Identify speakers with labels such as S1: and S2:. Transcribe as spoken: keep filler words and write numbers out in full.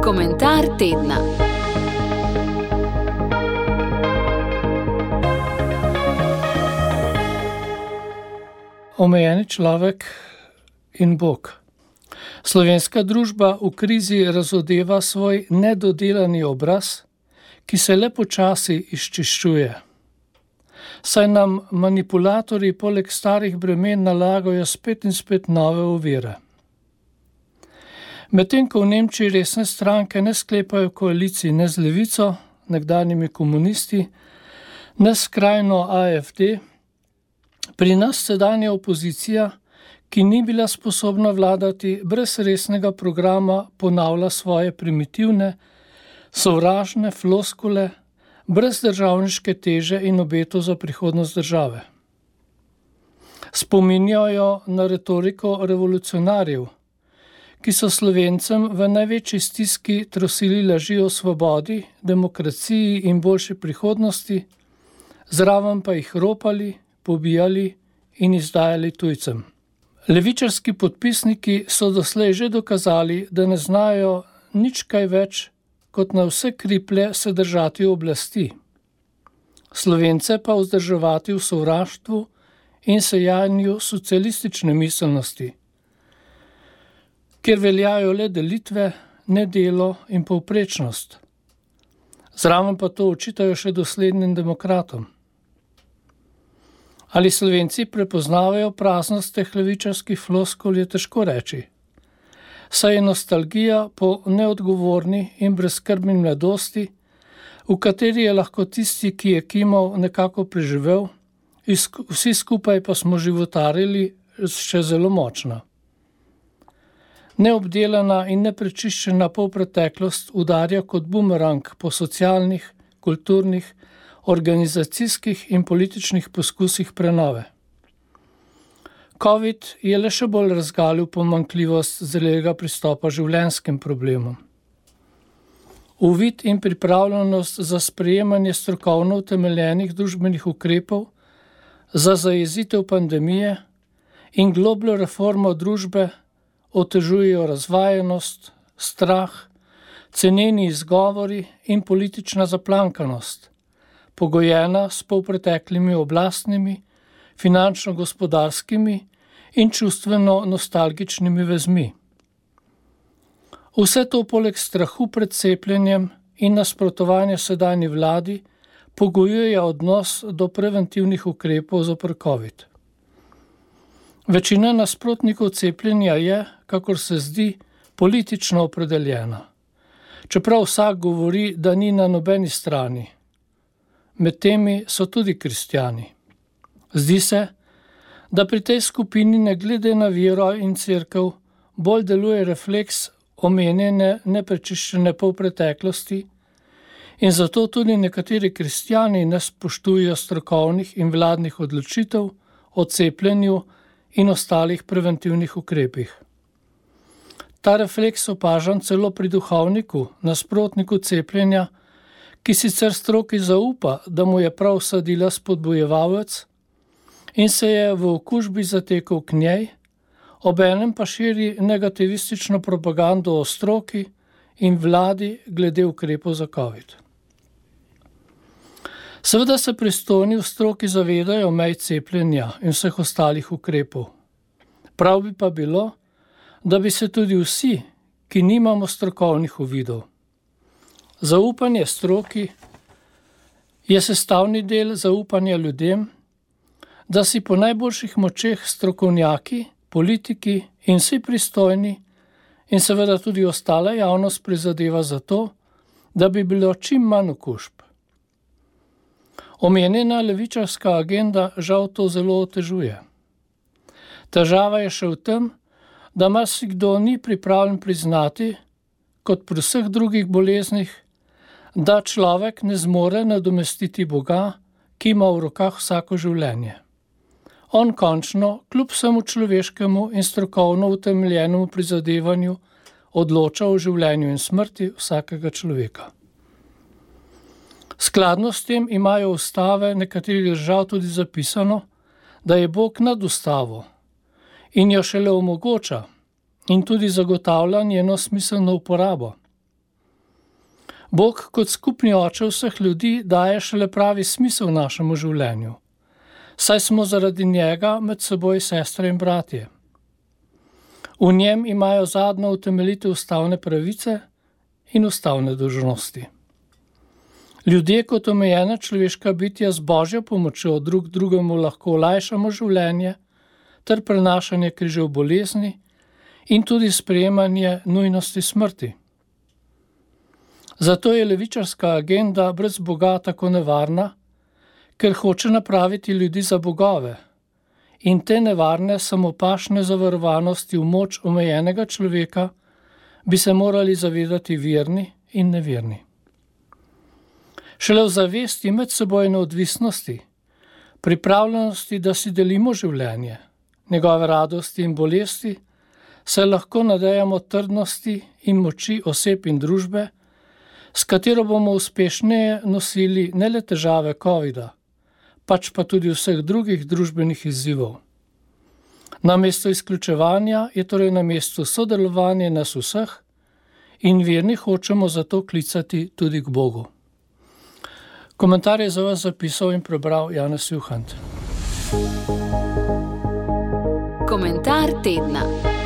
S1: Komentar tedna.
S2: Omejeni človek in Bog. Slovenska družba v krizi razodeva svoj nedodelani obraz, ki se le počasi izčiščuje. Saj nam manipulatorji poleg starih bremen nalagajo spet in spet nove ovire. Medtem ko v Nemčiji resne stranke ne sklepajo koalicij ne z levico, nekdanjimi komunisti, ne skrajno A F D, pri nas sedanja opozicija, ki ni bila sposobna vladati brez resnega programa, ponavlja svoje primitivne, sovražne floskule, brez državniške teže in obetov za prihodnost države. Spominjajo na retoriko revolucionarjev, ki so Slovencem v največji stiski trosili laži o svobodi, demokraciji in boljši prihodnosti, zraven pa jih ropali, pobijali in izdajali tujcem. Levičarski podpisniki so doslej že dokazali, da ne znajo nič kaj več, kot na vse kriplje se držati oblasti. Slovence pa vzdrževati v sovraštvu in sejanju socialistične miselnosti, kjer veljajo le delitve, nedelo in povprečnost. Zraven pa to očitajo še doslednim demokratom. Ali Slovenci prepoznavajo praznost teh levičarskih floskul, je težko reči. Saj je nostalgija po neodgovorni in brezskrbni mladosti, v kateri je lahko tisti, ki je kimal, nekako preživel, vsi skupaj pa smo životarili še zelo močna. Neobdelana in neprečiščena polpreteklost udarja kot bumerang po socialnih, kulturnih, organizacijskih in političnih poskusih prenove. Covid je le še bolj razgalil pomanjkljivost zelega pristopa življenjskim problemom. Uvid in pripravljenost za sprejemanje strokovno utemeljenih družbenih ukrepov, za zajezitev pandemije in globljo reformo družbe otežujejo razvajenost, strah, ceneni izgovori in politična zaplankanost, pogojena s polpreteklimi oblastnimi, finančno-gospodarskimi in čustveno-nostalgičnimi vezmi. Vse to poleg strahu pred cepljenjem in nasprotovanja sedanji vladi pogojuje odnos do preventivnih ukrepov zoper COVID. Večina nasprotnikov cepljenja je, kakor se zdi, politično opredeljena. Čeprav vsak govori, da ni na nobeni strani. Med temi so tudi kristjani. Zdi se, da pri tej skupini ne glede na vero in cerkev bolj deluje refleks omenjene neprečiščene polpreteklosti in zato tudi nekateri kristjani ne spoštujejo strokovnih in vladnih odločitev o cepljenju in ostalih preventivnih ukrepih. Ta refleks opažam celo pri duhovniku, nasprotniku cepljenja, ki sicer stroki zaupa, da mu je prav vsadila spodbujevalec in se je v okužbi zatekal k njej, obenem pa širi negativistično propagando o stroki in vladi glede ukrepov za COVID. Seveda se pristojni v stroki zavedajo mej cepljenja in vseh ostalih ukrepov. Prav bi pa bilo, da bi se tudi vsi, ki nimamo strokovnih uvidov. Zaupanje stroki je sestavni del zaupanja ljudem, da si po najboljših močeh strokovnjaki, politiki in vsi pristojni in seveda tudi ostala javnost prizadeva za to, da bi bilo čim manj okužb. Omenjena levičarska agenda žal to zelo otežuje. Težava je še v tem, da marsikdo ni pripravljen priznati, kot pri vseh drugih boleznih, da človek ne zmore nadomestiti Boga, ki ima v rokah vsako življenje. On končno, kljub vsemu človeškemu in strokovno utemeljenemu prizadevanju, odloča o življenju in smrti vsakega človeka. Skladno s tem imajo ustave nekaterih držav tudi zapisano, da je Bog nad ustavo in jo šele omogoča in tudi zagotavlja njeno smiselno uporabo. Bog kot skupni oče vseh ljudi daje šele pravi smisel našemu življenju, saj smo zaradi njega med seboj sestre in bratje. V njem imajo zadnjo utemeljitev ustavne pravice in ustavne dolžnosti. Ljudje kot omejena človeška bitja z Božjo pomočjo drug drugemu lahko olajšamo življenje ter prenašanje križev bolezni in tudi sprejemanje nujnosti smrti. Zato je levičarska agenda brez Boga tako nevarna, ker hoče napraviti ljudi za bogove in te nevarne samopašne zavarovanosti v moč omejenega človeka bi se morali zavedati verni in neverni. Šele v zavesti medsebojne odvisnosti, pripravljenosti, da si delimo življenje, njegove radosti in bolesti, se lahko nadejamo trdnosti in moči oseb in družbe, s katero bomo uspešneje nosili ne le težave covida, pač pa tudi vseh drugih družbenih izzivov. Namesto izključevanja je torej na mestu sodelovanje nas vseh in verni hočemo zato klicati tudi k Bogu. Komentar je za vas zapisal in prebral Janez Juhant.
S1: Komentar tedna.